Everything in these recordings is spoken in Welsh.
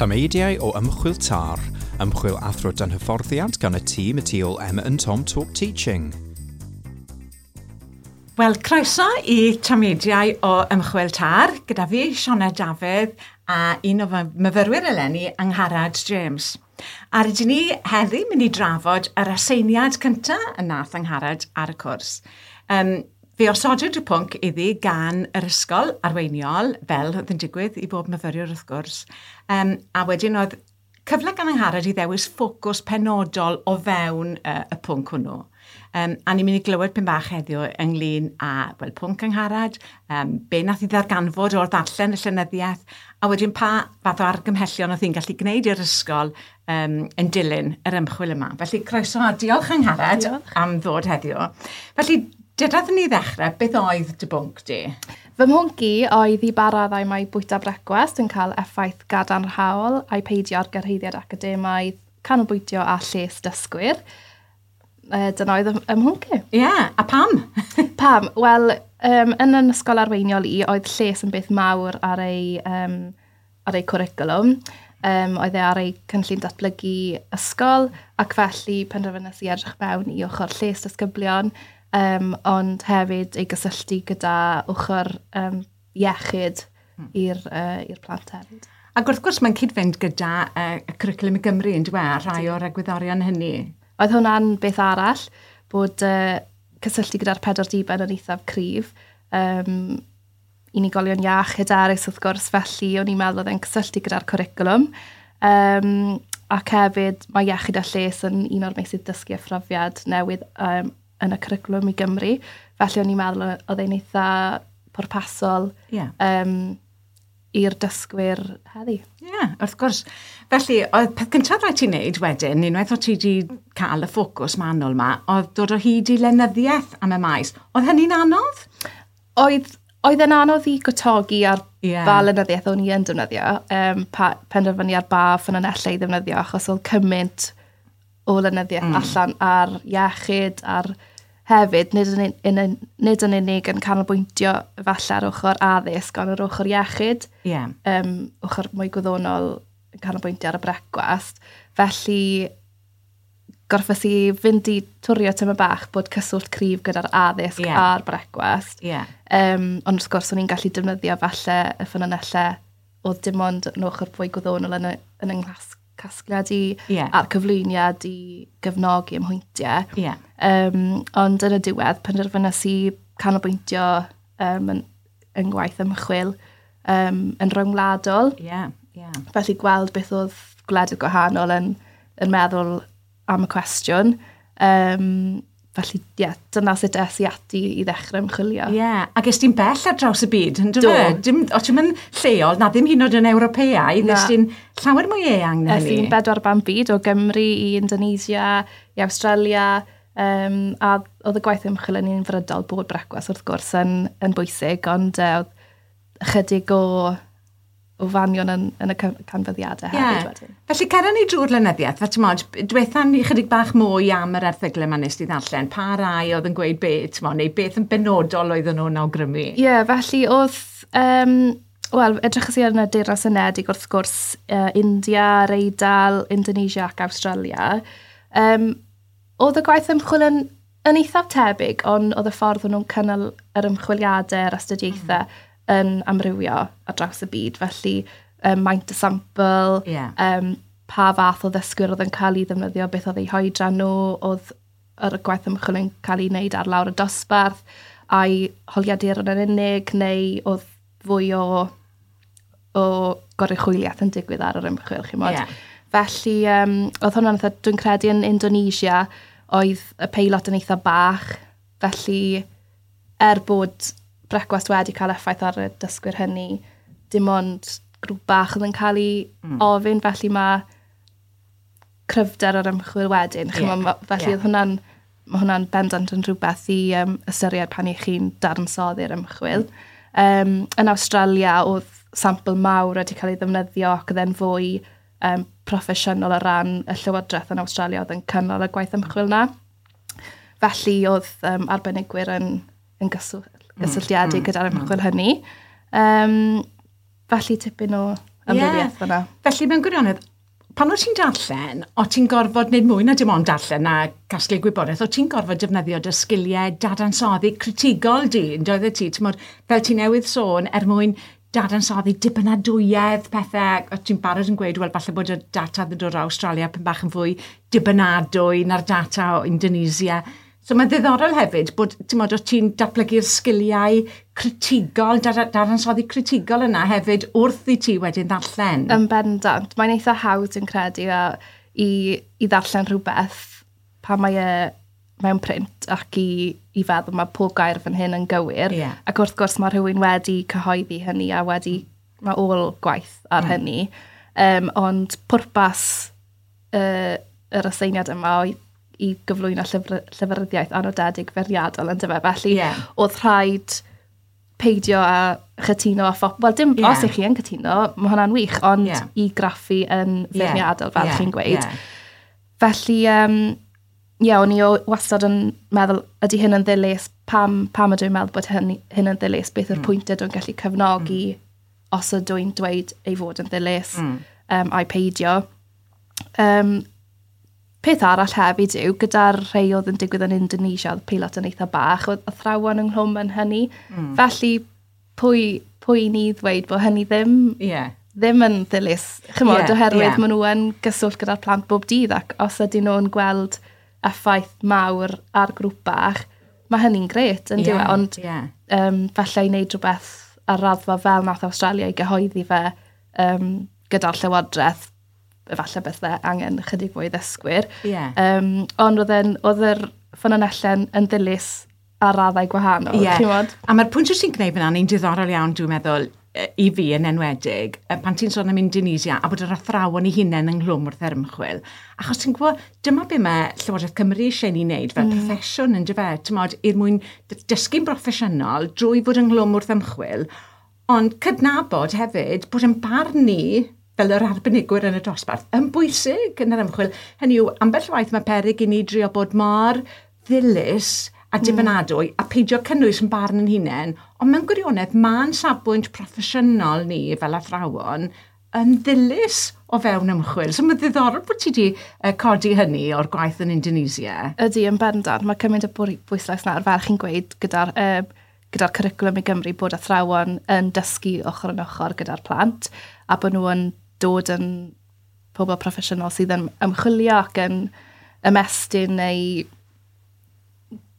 Tameidiau o Ymchwil TAR, ymchwil athro dan hyfforddiant gan y tîm y tu ôl Emma and Tom Talk Teaching. Wel, croeso i Tameidiau o Ymchwil TAR, gyda fi, Sioned Dafydd, a un o fy myfyrwyr eleni, Angharad James. A rydyn ni heddi mynd i drafod yr aseiniad cyntaf y nath Angharad ar y cwrs. Fe osodwyd y pwnc iddi gan yr ysgol arweiniol, fel oedd yn digwydd i bob myfyriwr wrth gwrs. A wedyn oedd cyfle gan Angharad i ddewis ffocws penodol o fewn y pwnc hwnnw. A ni'n mynd i glywed pyn bach heddiw ynglyn â, wel, pwnc Angharad, be nath i ddarganfod o'r ddarllen y llenyddiaeth, a wedyn pa fath o argymhellion oedd hi'n gallu gwneud i'r ysgol yn dilyn yr ymchwil yma. Felly, croeso a diolch Angharad. Diolch. Am ddod heddiw. Felly, dyda ni ddechrau, beth oedd dy bwnc di? Fy mhwnc i oedd i ba raddau mae bwyta brecwast yn cael effaith gadarnhaol a'i peidio ar gyrhaeddiad academaidd, canolbwyntio a lles dysgwyr. Dyna oedd ym mhwnc i. Ie, yeah, a pam? Pam? Wel, yn yn ysgol arweiniol i, oedd lles yn beth mawr ar ei cwricwlwm. Oedd e ar ei cynllun datblygu ysgol, ac felly penderfynais i edrych mewn i ochr lles disgyblion, ond hefyd ei gysylltu gyda ochr iechyd i'r plant hefyd. Ac wrth gwrs mae'n cyd-fynd gyda y cwricwlwm i Gymru yn dweud, a rhai o'r egwyddorion hynny. Oedd hwnna'n beth arall, bod cysylltu gyda'r pedwar diben yn eithaf cryf. Unigolion iach, hyderus wrth gwrs, felly o'n i'n meddwl oedd e'n cysylltu gyda'r cwricwlwm. Ac hefyd mae iechyd a lles yn un o'r meysydd dysgu a phrofiad newydd yn y cwricwlwm i Gymru. Felly o'n i'n meddwl oedd e'n eitha pwrpasol i'r dysgwyr heddi. Ie, yeah, wrth gwrs. Felly, oedd peth cyntaf rhaid ti'n neud wedyn, unwaith o ti wedi cael y ffocws manwl yma, oedd dod o hyd i lenyddiaeth am y maes. Oedd hynny'n anodd? Oedd e'n anodd i gwtogi ar ba lenyddiaeth o'n i yn defnyddio, penderfynu ar ba ffynonellau i ddefnyddio, achos oedd cymaint o lenyddiaeth allan ar iechyd, ar hefyd, nid yn unig yn canolbwyntio falle ar ochr addysg, ond ar ochr iechyd, ochr mwy gwyddonol yn canolbwyntio ar y brecwast. Felly, gorffes i fynd i twrio tyma bach bod cyswllt cryf gyda'r addysg a'r brecwast. Ond wrth gwrs, o'n i'n gallu defnyddio falle y ffynonellau oedd dim ond yn ochr fwy gwyddonol yn yng nghasgliad i a'r cyflwyniad i gefnogi ymhwyntiau. Ond yn y diwedd, penderfynais i canolbwyntio yn gwaith ymchwil yn rhyngwladol. Felly gweld beth oedd gwledydd gwahanol yn meddwl am y cwestiwn. Felly, dyna sut es i ati i ddechrau ymchwilio. Ie, ac es ti'n bell ar draws y byd, yn dyfe? O ti'n mynd lleol, na ddim hyd yn oed yn Ewropeaidd, es ti'n llawer mwy eang na hynny. Es i'n bedwar ban byd, o Gymru i Indonesia, i Awstralia, a oedd y gwaith ymchwil yn unfrydol bod brecwast wrth gwrs yn bwysig, ond oedd ychydig o fanion yn y canfyddiadau hefyd wedyn. Felly, cera ni drwy'r lenyddiaeth, fe ti'n modd, dwetha ni chydig bach mwy am yr erthyglau yma nes di ddarllen, pa rai oedd yn gweud beth, ti'n modd, neu beth yn benodol oedden nhw'n awgrymu? Ie, felly oedd, wel, edrychais i ar y Deyrnas Unedig wrth gwrs, India, yr Eidal, Indonesia ac Awstralia. Oedd y gwaith ymchwil yn eithaf tebyg, ond oedd y ffordd o'n nhw'n cynnal yr ymchwiliadau, yr astudiaethau, yn amrywio ar draws y byd. Felly, maint y sampl, pa fath o ddysgwyr oedd yn cael ei ddefnyddio, beth oedd eu hoedran nhw, oedd yr gwaith ymchwil yn cael ei wneud ar lawr y dosbarth, a'i holiaduron yn unig, neu oedd fwy o goruchwyliaeth yn digwydd ar yr ymchwil, chi'mod. Felly, oedd hwnna'n eitha, dwi'n credu yn Indonesia, oedd y peilot yn eitha bach, felly bod brecwast wedi cael effaith ar y dysgwyr hynny, dim ond grŵp bach oedd yn cael ei ofyn, felly mae cryfder yr ymchwil wedyn. Felly oedd hwnna'n, mae hwnna'n bendant yn rhywbeth i ystyried pan i chi'n dadansoddi'r ymchwil. Yn Awstralia oedd sampl mawr wedi cael ei ddefnyddio ac oedd e'n fwy proffesiynol o ran y llywodraeth yn Awstralia oedd yn cynnal y gwaith ymchwil na. Felly oedd arbenigwyr yn gysylltiedig gyda'r ymchwil hynny. Felly tipyn o amrywiaeth fyna. Felly mewn gwirionedd, pan o ti'n darllen, o ti'n gorfod wneud mwy na dim ond darllen a casglu gwybodaeth, o ti'n gorfod defnyddio dy sgiliau dadansoddi critigol di, yn doedd ti, ti'n fel ti newydd sôn, er mwyn dadansoddi dibynadwyedd pethau, o ti'n barod yn gweud, wel, falle bod y data yn dod o Australia pyn bach yn fwy dibynadwy na'r data o Indonesia. So mae'n ddiddorol hefyd bod, ti'n modd, o ti'n datblygu'r sgiliau critigol, dadansoddi critigol yna hefyd wrth i ti wedyn ddarllen. Yn bendant. Mae'n eitha hawdd yn credu a, i ddarllen rhywbeth pan mae e mewn print ac i feddwl mae pob gair fan hyn yn gywir. Yeah. Ac wrth gwrs mae rhywun wedi cyhoeddi hynny a wedi, mae ôl gwaith ar hynny. Ond pwrpas yr aseiniad yma oedd i gyflwyno llyfryddiaeth anodedig feirniadol yn dyfe. Felly oedd rhaid peidio a chytuno a phop... Wel, dim os ych chi yn cytuno, mae hwnna'n wych, ond i graffu yn feirniadol, fel chi'n gweud. Felly, o'n i wastad yn meddwl, ydy hyn yn ddilys, pam ydw i'n meddwl bod hyn yn ddilys, beth yw'r pwyntiau dwi'n gallu cefnogi os ydw i'n dweud ei fod yn ddilys, a'i peidio. Peth arall hefyd yw, gyda'r rhai oedd yn digwydd yn Indonesia, oedd peilot yn eitha bach, oedd athrawon ynghlwm yn hynny. Felly, pwy ni ddweud bod hynny ddim, ddim yn ddilys, chymod, oherwydd maen nhw yn gyswllt gyda'r plant bob dydd, ac os ydyn nhw'n gweld effaith mawr ar grŵp bach, mae hynny'n grêt, yn dyw e, ond falle i wneud rhywbeth ar raddfa fel nath Australia i gyhoeddi fe gyda'r llywodraeth, efallai bethau angen ychydig fwy ddysgwyr. Ond oedd yr ffynonellau yn ddilys ar raddau gwahanol. A mae'r pwynt wyt ti'n gwneud fyna, ni'n diddorol iawn, dwi'n meddwl, i fi yn enwedig, pan ti'n sôn am Indonesia a bod yr athrawon eu hunain ynghlwm wrth yr ymchwil. Achos ti'n gwybod, dyma be mae Llywodraeth Cymru eisiau ni wneud fel proffesiwn yn dyfe, ti'n modd, er mwyn dysgu'n broffesiynol drwy fod ynghlwm wrth ymchwil, ond cydnabod hefyd bod yn barn ni fel yr arbenigwyr yn y dosbarth, yn bwysig yn yr ymchwil. Hynny yw, ambell waith mae peryg i ni drio bod mor ddilys a dibynadwy a peidio cynnwys yn barn yn hunain, ond mewn gwirionedd ma'n safbwynt proffesiynol ni fel athrawon yn ddilys o fewn ymchwil. So mae'n ddiddorol bod ti wedi codi hynny o'r gwaith yn Indonesia. Ydy, yn bendant. Mae cymaint o bwyslais nawr, fel chi'n gweud, gyda'r cwricwlwm i Gymru bod athrawon yn dysgu ochr yn ochr gyda'r plant a bod nhw yn dod yn pobl proffesiynol sydd yn ymchwilio ac yn ymestyn neu,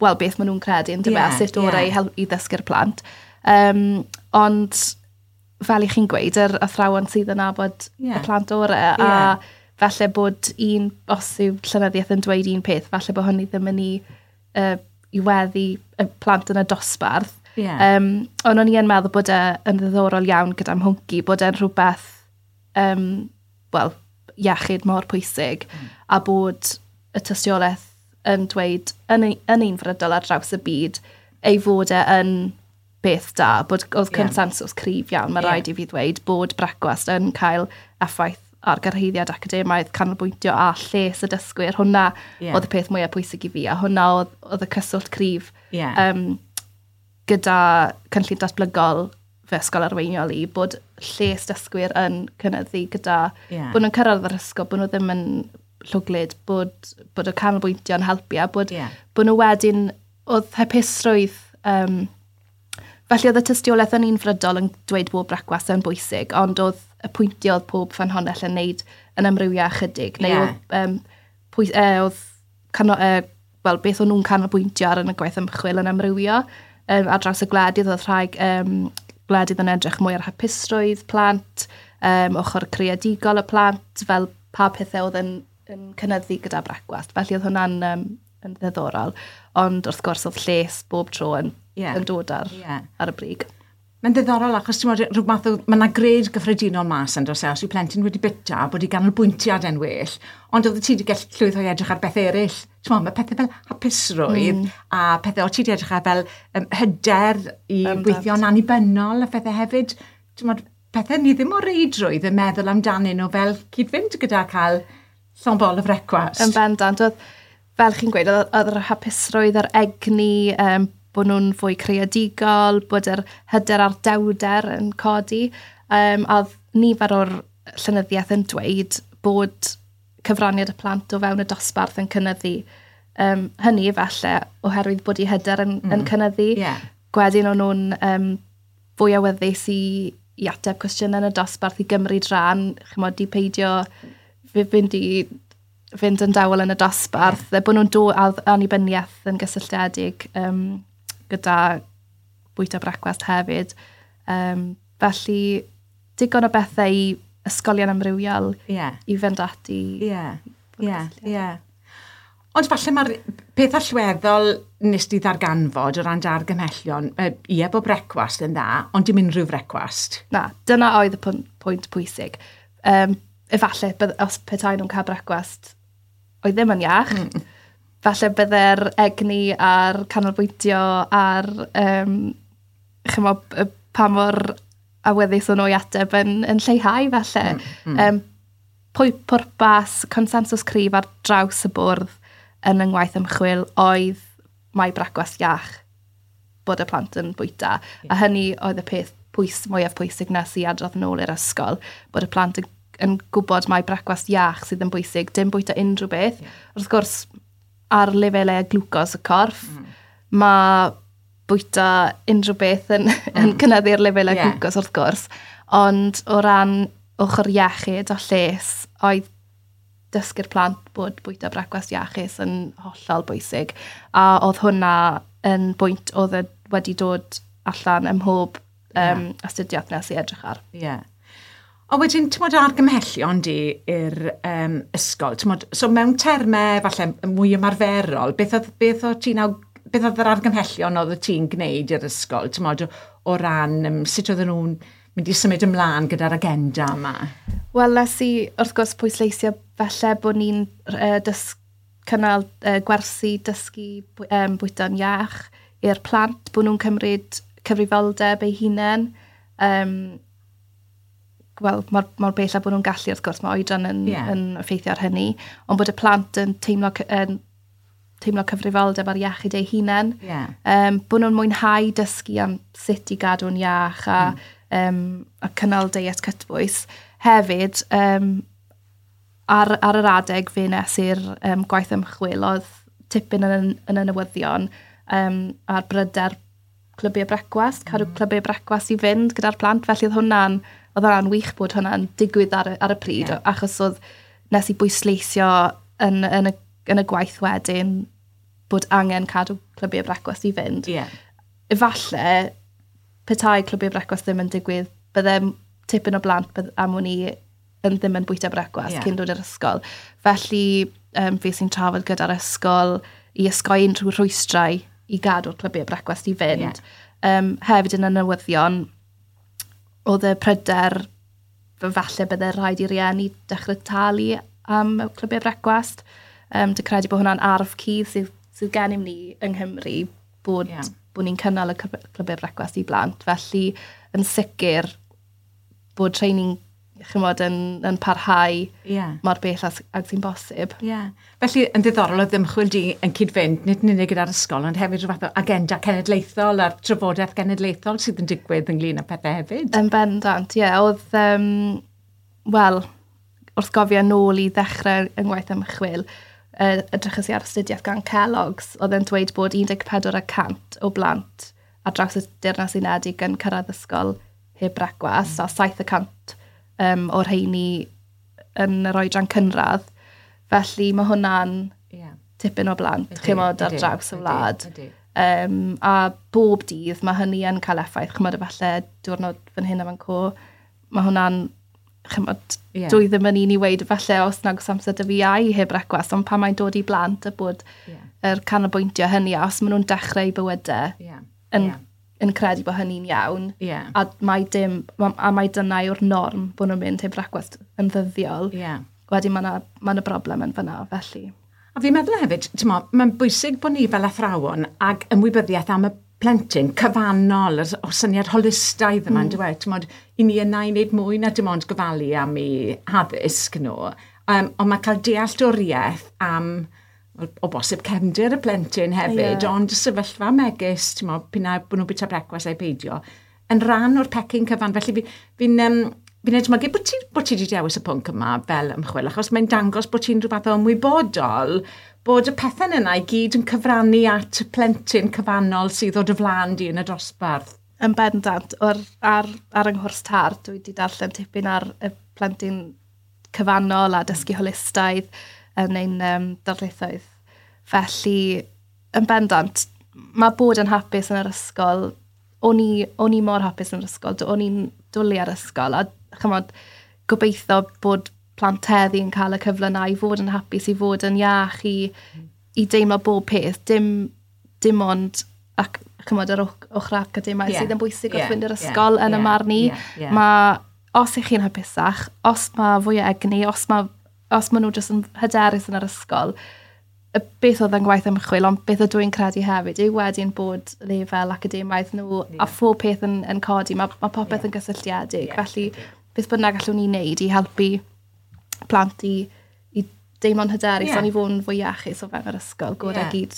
wel, beth maen nhw'n credu yn dyfe, sut orau i ddysgu'r plant. Ond, fel i chi'n gweud, yr athrawon sydd yn nabod y plant orau, a falle bod un, os yw llenyddiaeth yn dweud un peth, falle bod hynny ddim yn i weddu y plant yn y dosbarth. Ond o'n i yn meddwl bod e yn ddiddorol iawn gyda mhwnc i, bod e'n rhywbeth, wel, iechyd mor pwysig, a bod y tystiolaeth yn dweud yn unfrydol ar draws y byd ei fod e yn beth da, bod oedd consensus cryf iawn, mae rhaid i fi ddweud bod brecwast yn cael effaith ar gyrhaeddiad academaidd, canolbwyntio a lles y dysgwyr. Hwna oedd y peth mwyaf pwysig i fi, a hwnna oedd y cyswllt cryf gyda cynllun datblygol fy ysgol arweiniol i, bod lles dysgwyr yn cynyddu gyda, bod nhw'n cyrraedd yr ysgol, bod nhw ddim yn llwglyd, bod y canolbwyntio yn helpu, a bod nhw wedyn, oedd hapusrwydd, felly oedd y tystiolaeth yn unfrydol yn dweud bod brecwast yn bwysig, ond oedd y pwyntio oedd pob ffynhonnell yn neud yn amrywio ychydig, neu oedd beth o'n nhw'n canolbwyntio ar yn y gwaith ymchwil yn amrywio, ar draws y gwledydd, oedd rhai gwledydd yn edrych mwy ar hapusrwydd plant, ochr creadigol y plant, fel pa pethau oedd yn cynyddu gyda brecwast. Felly oedd hwnna'n yn ddiddorol. Ond wrth gwrs oedd lles bob tro yn dod ar y brig. Mae'n ddiddorol achos ti'n meddwl, rhywbeth mae yna gred gyffredinol mas yn does e, os yw plentyn wedi bita, bod ei ganolbwyntiad yn well, ond oedd ti wedi gallu llwyddo i edrych ar beth eraill. Ti'n meddwl, mae pethau fel hapusrwydd a pethau o ti wedi edrych ar fel hyder i weithio'n annibynnol a pethau hefyd. Ti'n meddwl, pethau ni ddim o reidrwydd yn meddwl amdanyn nhw fel cyd-fynd gyda cael llond bol o frecwast. Yn bendant, oedd, fel chi'n gweud, oedd yr hapusrwydd, yr egni, bod nhw'n fwy creadigol, bod yr hyder a'r dewder yn codi. A oedd nifer o'r llenyddiaeth yn dweud bod cyfraniad y plant o fewn y dosbarth yn cynyddu. Hynny falle oherwydd bod eu hyder yn cynyddu. Gwedyn o'n nhw'n fwy awyddus i ateb cwestiynau yn y dosbarth, i gymryd rhan, chymod, i peidio fynd yn dawel yn y dosbarth, bod nhw'n dod annibyniaeth yn gysylltiedig gyda bwyta brecwast hefyd. Felly, digon o bethau i ysgolion amrywiol i fynd ati. Ie. Ond falle mae'r peth allweddol nes di ddarganfod o ran dargymhellion, ie, bod brecwast yn dda, ond dim unrhyw frecwast. Na, dyna oedd y pwynt pwysig. Efallai, os petai nhw'n cael brecwast oedd ddim yn iach, falle bydde'r egni a'r canolbwyntio a'r chymod, pa mor awyddus o'n nhw i ateb yn lleihau falle. Pwy pwrpas, consensws cryf ar draws y bwrdd yn yng ngwaith ymchwil oedd mai brecwast iach bod y plant yn bwyta. A hynny oedd y peth mwyaf pwysig nes i adrodd yn ôl i'r ysgol, bod y plant yn gwybod mai brecwast iach sydd yn bwysig, dim bwyta unrhyw beth. Wrth gwrs, ar lefelau glwcos y corff, mae bwyta unrhyw beth yn cynyddu'r lefelau glwcos wrth gwrs. Ond o ran ochr iechyd a lles, oedd dysgu'r plant bod bwyta brecwast iachus yn hollol bwysig. A oedd hwnna yn bwynt oedd wedi dod allan ym mhob astudiaeth nes i edrych ar. Ie. A wedyn, ti'n modd argymhellion di i'r ysgol, ti'n so mewn termau falle mwy ymarferol, beth oedd yr argymhellion oedd ti'n gwneud i'r ysgol, ti'n modd, o ran sut oedden nhw'n mynd i symud ymlaen gyda'r agenda yma? Wel, nes i wrth gwrs pwysleisio falle bod ni'n cynnal gwersi dysgu bwyta'n iach i'r plant, bod nhw'n cymryd cyfrifoldeb eu hunain. Wel, mor bell a bod nhw'n gallu, wrth gwrs, mae oedran yn effeithio ar hynny, ond bod y plant yn teimlo cyfrifoldeb ar iechyd eu hunain. Bod nhw'n mwynhau dysgu am sut i gadw'n iach a cynnal deiet cytbwys. Hefyd, ar yr adeg fe nes i'r gwaith ymchwil, oedd tipyn yn y newyddion ar bryder clybiau brecwast, cadw clybiau brecwast i fynd gyda'r plant, felly oedd hwnna'n wych bod hwnna'n digwydd ar y pryd, achos oedd nes i bwysleisio yn y gwaith wedyn bod angen cadw clybiau brecwast i fynd. Efallai, petai clybiau brecwast ddim yn digwydd, bydde tipyn o blant am wn i yn ddim yn bwyta brecwast cyn dod i'r ysgol. Felly, fi sy'n trafod gyda'r ysgol i ysgoi unrhyw rhwystrau i gadw'r clybiau brecwast i fynd. Hefyd yn y newyddion, oedd y pryder falle bydde rhaid i rieni dechrau talu am y clybiau brecwast. Dwi'n credu bod hwnna'n arf cudd sydd gennym ni yng Nghymru, bod ni'n cynnal y clybiau brecwast i blant. Felly, yn sicr, bod training, chymod, yn parhau mor bell ag sy'n bosib. Felly, yn ddiddorol oedd ymchwil di yn cyd-fynd, nid yn unig gyda'r ysgol, ond hefyd rhyw fath o agenda cenedlaethol a'r trafodaeth genedlaethol sydd yn digwydd ynglyn â pethau hefyd. Yn bendant, ie. Oedd, wel, wrth gofio nôl i ddechrau yng ngwaith ymchwil, edrychais i ar astudiaeth gan Kellogg's, oedd yn dweud bod 14% o blant ar draws y Deyrnas Unedig yn cyrraedd ysgol heb brecwast, a 7% o'r rheini yn yr oedran cynradd. Felly mae hwnna'n tipyn o blant, chymod, ar draws y wlad. A bob dydd mae hynny yn cael effaith, chymod, efallai diwrnod fan hyn a fan co, mae hwnna'n, chymod, dwi ddim yn un i weid falle os nag oes amser dy fi ai heb brecwast, ond pan mae'n dod i blant a bod yr canolbwyntio hynny, a os maen nhw'n dechrau bywydau yn credu bod hynny'n iawn, a mae a mae dyna yw'r norm bod nhw'n mynd heb brecwast yn ddyddiol, wedyn mae yna broblem yn fyna, felly. A fi'n meddwl hefyd, mae'n bwysig bod ni fel athrawon ag ymwybyddiaeth am y plentyn cyfannol, o syniad holistaidd yma, mm. I ni yna i wneud mwy na dim ond gofalu am eu haddysg nhw, ond mae cael dealltwriaeth am, o bosib cefndir y plentyn hefyd, ond y sefyllfa megis, p'un ai bod nhw'n bwyta brecwast ai peidio, yn rhan o'r pecyn cyfan. Felly fi'n edmygu bod ti wedi dewis y pwnc yma fel ymchwil, achos mae'n dangos bod ti'n rhywbeth o ymwybodol bod y pethau yna i gyd yn cyfrannu at y plentyn cyfannol sydd o dy flaen di yn y dosbarth. Yn bendant, ar yng nghwrs TAR, dwi wedi darllen tipyn ar y plentyn cyfannol a dysgu holistaidd yn ein darlithoedd. Felly, yn bendant, mae bod yn hapus yn yr ysgol, o'n i mor hapus yn yr ysgol, o'n i'n dwlu ar ysgol, a chymod, gobeithio bod plant heddi yn cael y cyfle yna i fod yn hapus, i fod yn iach, i deimlo bob peth, dim ond ac chymod, yr ochr academaidd sydd yn bwysig wrth fynd i'r ysgol yn y marn i. Mae, os ych chi'n hapusach, os mae fwy o egni, os ma nhw jyst yn hyderus yn yr ysgol, y beth oedd yn gwaith ymchwil, ond beth ydw i'n credu hefyd yw wedyn bod lefel academaidd nhw a phob peth yn codi, mae popeth yn gysylltiedig. Felly, beth bynnag allwn ni wneud i helpu plant i deimlo'n hyderus, ond i fod yn fwy iachus o fewn yr ysgol, gorau gyd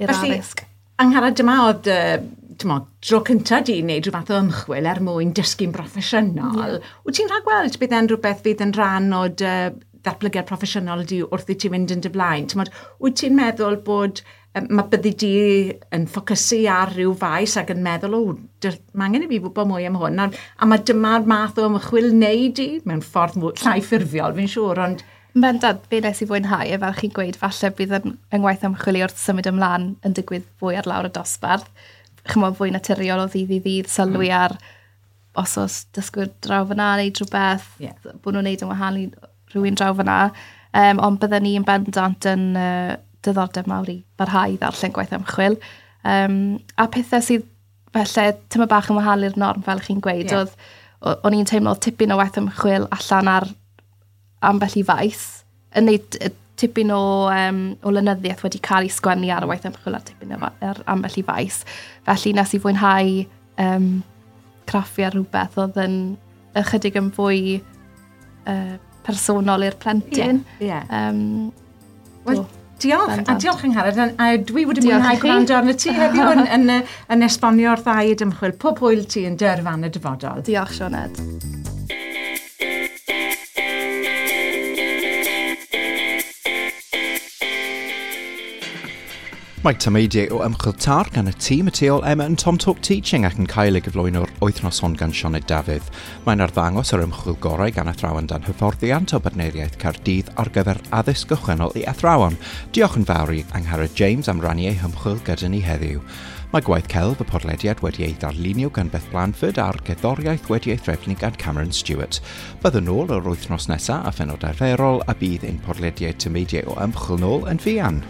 i'r addysg. Angharad, dyma oedd dro cyntaf di wneud rhyw fath o ymchwil er mwyn dysgu'n broffesiynol. Wyt ti'n rhagweld bydd e'n rhywbeth fydd yn rhan o dy ddatblygiad proffesiynol di wrth i ti fynd yn dy flaen? T'mod, wyt ti'n meddwl bod mae byddi di yn ffocysu ar ryw faes ac yn meddwl, o, mae angen i fi wybod mwy am hwn. A mae dyma'r math o ymchwil wneud i, mewn ffordd mwy, llai ffurfiol, fi'n siŵr, ond Bendant, be nes i fwynhau, e fel chi'n gweud, falle bydd yng ngwaith ymchwil i wrth symud ymlaen yn digwydd fwy ar lawr y dosbarth. Chymod, fwy naturiol o ddydd i ddydd, sylwi ar os oes dysgwyr draw fyna neu rhywbeth, bod nhw'n neud yn wahanol i rhywun draw fyna. Ond bydden ni yn bendant yn diddordeb mawr i barhau i ddarllen gwaith ymchwil. A pethau sydd falle tyma bach yn wahanol i'r norm, fel chi'n gweud, oedd, o'n i'n teimlo oedd tipyn o waith ymchwil allan ar ambell i faes, yn neud tipyn o lenyddiaeth wedi cael ei sgwennu ar y waith ymchwil ar tipyn o, ar ambell i faes. Felly nes i fwynhau craffu ar rhywbeth oedd yn ychydig yn fwy personol i'r plentyn. Ie. Wel, diolch, a diolch Angharad, a dwi wedi mwynhau gwrando arno ti heddiw yn esbonio'r ddau ymchwil. Pob hwyl ti yn dy yrfa yn y dyfodol. Diolch, Sioned. Mae tameidiau o ymchwil TAR gan y tîm y tu ôl Emma and Tom Talk Teaching ac yn cael ei gyflwyno'r wythnos hon gan Sioned Dafydd. Mae'n arddangos yr ymchwil gorau gan athrawon dan hyfforddiant o Bartneriaeth Caerdydd ar gyfer addysg gychwynnol i athrawon. Diolch yn fawr i Angharad James am rannu ei hymchwil gyda ni heddiw. Mae gwaith celf y podlediad wedi ei ddarlunio gan Beth Blanford a'r gerddoriaeth wedi ei threfnu gan Cameron Stewart. Byddwn nôl yr wythnos nesaf a phenod arferol a bydd ein podlediad tameidiau o ymchwil nôl yn fuan.